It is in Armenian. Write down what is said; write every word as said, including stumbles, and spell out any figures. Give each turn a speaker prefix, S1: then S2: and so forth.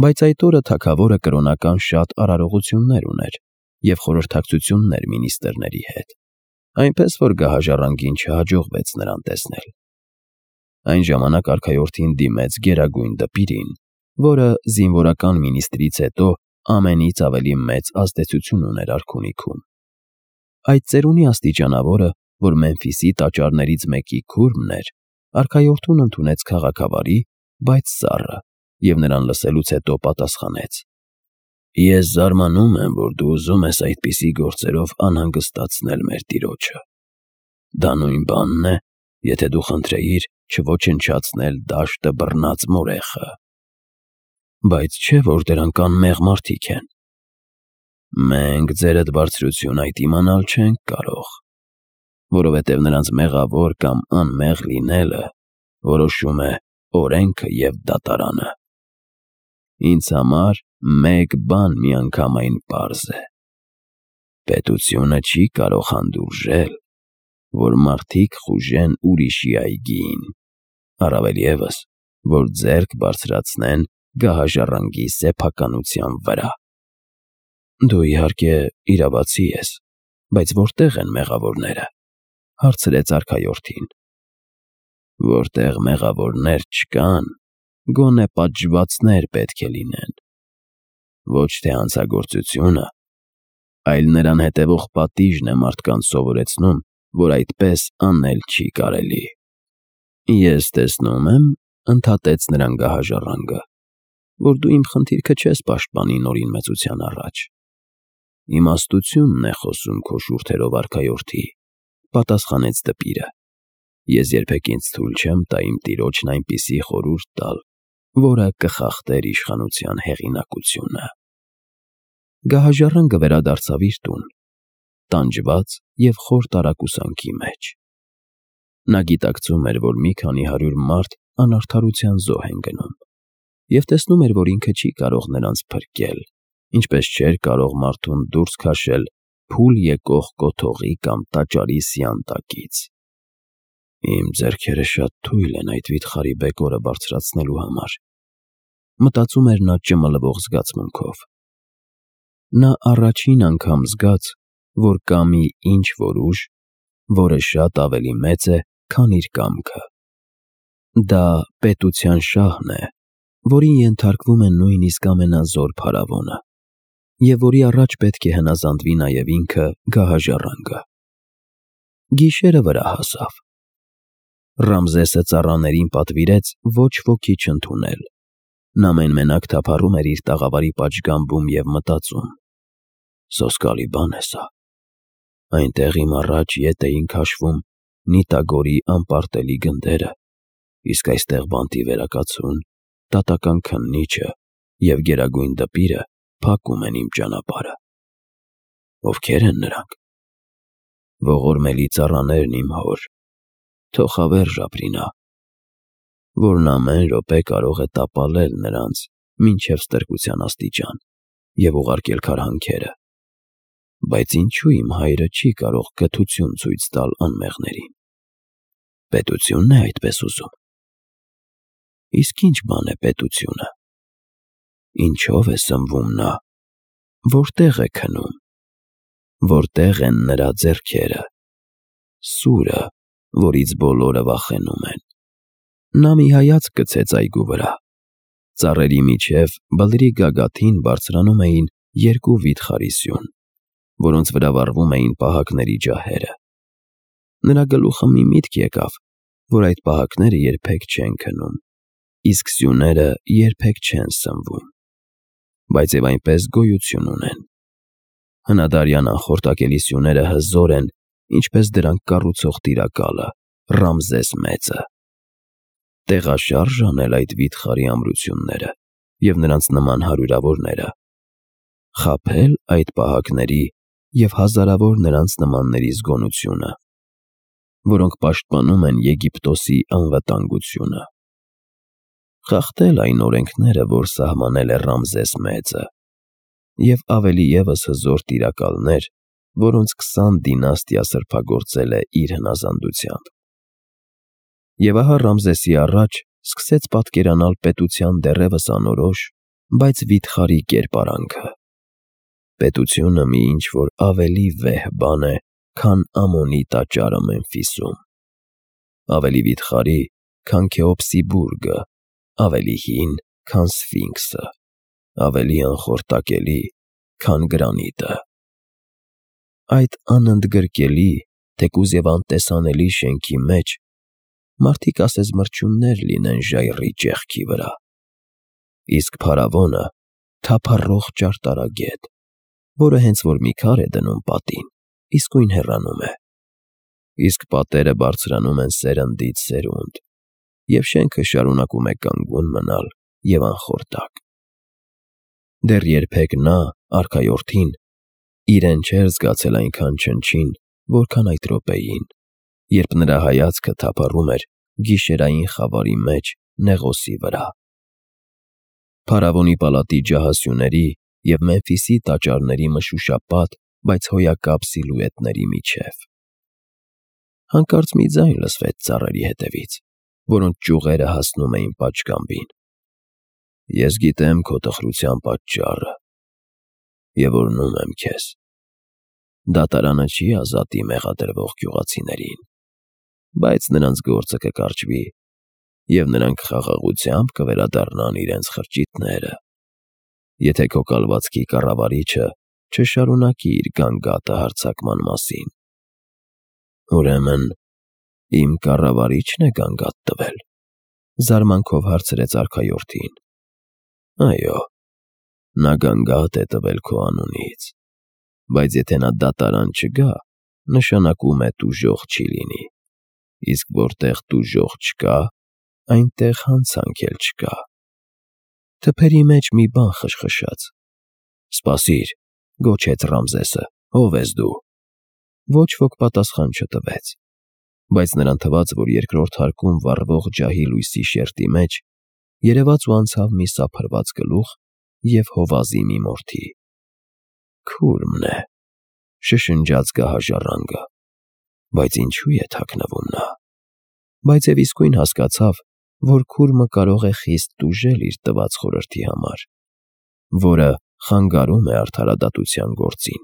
S1: Բայց այդ օրը թագավորը կրոնական շատ արարողություններ ուներ և խորհրդակցություններ մինիստրների հետ, այնպես որ գահաժառանգին չհաջողվեց նրան տեսնել։ Այն ժամանակ արքայորդին դիմեց Գերագույն Դպիրին, որը զինվորական մինիստրից հետո ամենից ավելի մեծ ազդեցություն ուներ արքունիքում։ Այդ ծերունի աստիճանավորը, որ Մեմֆիսի տաճարներից մեկի քուրմն էր, արքայորդուն ընդունեց քաղաքավարի, բայց սառը, և նրան լսելուց հետո պատասխանեց. «Ես զարմանում եմ, որ դու ուզում ես այդպիսի գործերով անհանգստացնել մեր տիրոջը։ Դա նույն բանն է, եթե դու խնդրեիր չոչնչացնել դաշտը բռնած մորեխը։ Բայց չէ՞ որ դրանք անմեղ մարդիկ են։ Մենք, ձերդ բարձրություն, այդ իմանալ չենք կարող, որովհետև նրանց մեղավոր կամ անմեղ լինելը որոշում է օրենքը և դատարանը։ Ինձ համար մեկ բան միանգամայն պարզ է. պետությունը չի կարող հանդուրժել, որ մարդիկ խուժեն ուրիշի այգիին, առավել ևս, որ ձեռք բարձրացնեն գահաժառանգի սեփականության վրա»։ «Դու, իհարկե, իրավացի ես, բայց որտե՞ղ են մեղավորները», հարցրեց արքայորդին։ «Որտեղ մեղավորներ չկան, գոնե պատժվածներ պետք է լինեն։ Ոչ թե հանցագործությունը, այլ նրան հետևող պատիժն է մարդկանց սովորեցնում, որ այդպես անել չի կարելի»։ «Ես տեսնում եմ, ֊ ընդհատեց նրան գահաժառանգը, ֊ որ դու իմ խնդիրքը չես պաշտպանի Նորին մեծության առաջ»։ «Իմաստությունն է խոսում քո շուրթերով, արքայորդի», ֊ պատասխանեց դպիրը։ «Ես երբեք ինձ թույլ չեմ տա իմ տիրոջն այնպիսի խորհուրդ տալ, որը կխախտեր իշխանության հեղինակությունը»։ Գահաժառանգը վերադարձավ իր տուն, տանջված և խոր տարակուսանքի մեջ։ Նա գիտակցում էր, որ մի քանի հարյուր մարդ անարդարության զոհ են գնում, և տեսնում էր, որ ինքը չի կարող նրանց փրկել, ինչպես չէր կարող մարդուն դուրս քաշել փուլ եկող կոթողի կամ տաճարի սյան տակից։ «Իմ ձեռքերը շատ թույլ են այդ վիթխարի բեկորը բարձրացնելու համար», ֊ մտածում էր նա ճմլվող զգացմունքով։ Նա առաջին անգամ զգաց, որ կա մի ինչ֊որ ուժ, որը շատ ավելի մեծ է, քան իր կամքը։ Դա պետության շահն է, որին ենթարկվում է նույնիսկ ամենազոր փարավոնը, և որի առաջ պետք է հնազանդվի նաև ինքը՝ գահաժառանգը։ Գիշերը վրա հասավ։ Ռամզեսը ծառաներին պատվիրեց ոչ ոքի չընդունել։ Նա մեն֊մենակ թափառում էր իր տաղավարի պատշգամբում և մտածում. «Սոսկալի բան է սա։ Այնտեղ իմ առաջ ետ էին քաշվում Նիտագորի անպարտելի գնդերը, իսկ այստեղ բանտի վերակացուն, դատական քննիչը և Գերագույն Դպիրը փակում են իմ ճանապարհը։ Ովքե՞ր են նրանք։ Ողորմելի ծառաներն իմ հոր, թող հավերժ ապրի նա, որն ամեն րոպե կարող է տապալել նրանց մինչև ստրկության աստիճան և ուղարկել քարհանքերը։ Բայց ինչո՞ւ իմ հայրը չի կարող կթություն ցույց տալ անմեղներին։ Պետությո՞ւնն է այդպես ուզում։ Իսկ ի՞նչ բան է պետությունը։ Ինչո՞վ է սնվում նա, որտե՞ղ է քնում, որտե՞ղ են նրա ձեռքերը, սուրը, որից բոլորը վախենում են»։ Նա մի հայացք գցեց այգու վրա։ Ծառերի միջև բլրի գագաթին բարձրանում էին երկու վիթխարի սյուն, որոնց վրա վառվում էին պահակների ջահերը։ Նրա գլուխը մի միտք եկավ, որ այդ պահակները երբեք չեն քնում, իսկ սյուները երբեք չեն սնվում, բայց և այնպես գոյություն ունեն։ Հնադարյան անխորտակելի սյուները հզոր են, ինչպես դրանք կառուցող տիրակալը՝ Ռամզես մեծը։ Տեղաշարժ անել այդ վիթխարի ամրությունները և նրանց նման հարյուրավորները, խաբել այդ պահակների և հազարավոր նրանց նմանների զգոնությունը, որոնք պաշտպանում են Եգիպտոսի անվտանգությունը, խախտել այն օրենքները, որ սահմանել է Ռամզես մեծը, և ավելի ևս հզոր տիրակալներ, որոնց քսան դինաստիա սրբագործել է իր հնազանդությամբ։ Եվ ահա Ռամզեսի առաջ սկսեց պատկերանալ պետության դեռևս անորոշ, բայց վիթխարի կերպարանքը։ Պետությունը մի ինչ-որ ավելի վեհ բան է, քան Ամոնի տաճարը Մեմֆիսում, ավելի վիթխարի, քան Քեոպսի բուրգը, ավելի հին, քան Սֆինքսը, ավելի անխորտակելի, քան գրանիտը։ Այդ անընդգրկելի, թեկուզ և անտեսանելի շենքի մեջ մարդիկ ասես մրջյուններ լինեն ժայռի ճեղքի վրա, իսկ փարավոնը թափառող ճարտարագետ, որը հենց որ մի քար է դնում պատին, իսկույն հեռանում է, իսկ պատերը բարձրանում են սերնդից սերունդ, և շենքը շարունակում է կանգուն մնալ և անխորտակ։ Դեռ երբեք նա, արքայորդին, իրեն չէր զգացել այնքան չնչին, որքան այդ րոպեին, երբ նրա հայացքը թափառում էր գիշերային խավարի մեջ Նեղոսի վրա։ Փարավոնի պալատի ջահասյուների և Մեմֆիսի տաճարների մշուշապատ, բայց հոյակապ սիլուետների միջև։ Հանկարծ մի ձայն լսվեց ծառերի ետևից, որոնց ճյուղերը հասնում էին պատշգամբին։ Ես գիտեմ քո տխրության պատճառը և օրհնում եմ քեզ։ Դատարանը չի ազատի մեղադրվող գյուղացիներին, բայց նրանց գործը կկարճվի, և նրանք խաղաղությամբ կվերադառնան իրենց խրճիթները, եթե քո կալվածքի կառավարիչը չշարունակի իր գանգատը հարձակման մասին։ Ուրեմն իմ կառավարի՞չն է գանգատ տվել,֊ զարմանքով հարցրեց արքայորդին։ Այո, նա գանգատ է տվել քո անունից, բայց եթե նա դատարան չգա, նշանակում է տուժող չի լինի, իսկ որտեղ տուժող չկա, այնտեղ հանցանք էլ չկա։ Թփերի մեջ մի բան խշխշաց։ Սպասիր,֊ գոչեց Ռամզեսը,֊ ո՞վ ես դու։ Ոչ ոք պատասխան չտվեց, բայց նրան թվաց, որ երկրորդ հարկում վառվող ջահի լույսի շերտի մեջ երևաց ու անցավ մի սափրված գլուխ և հովազի մի մորթի։ Քուրմն է,֊ շշնջաց գահաժառանգը,֊ բայց ինչու է թաքնվում նա։ Բայց և իսկույն հասկացավ, որ քուրմը կարող է խիստ տուժել իր տված խորհրդի համար, որը խանգարում է արդարադատության գործին։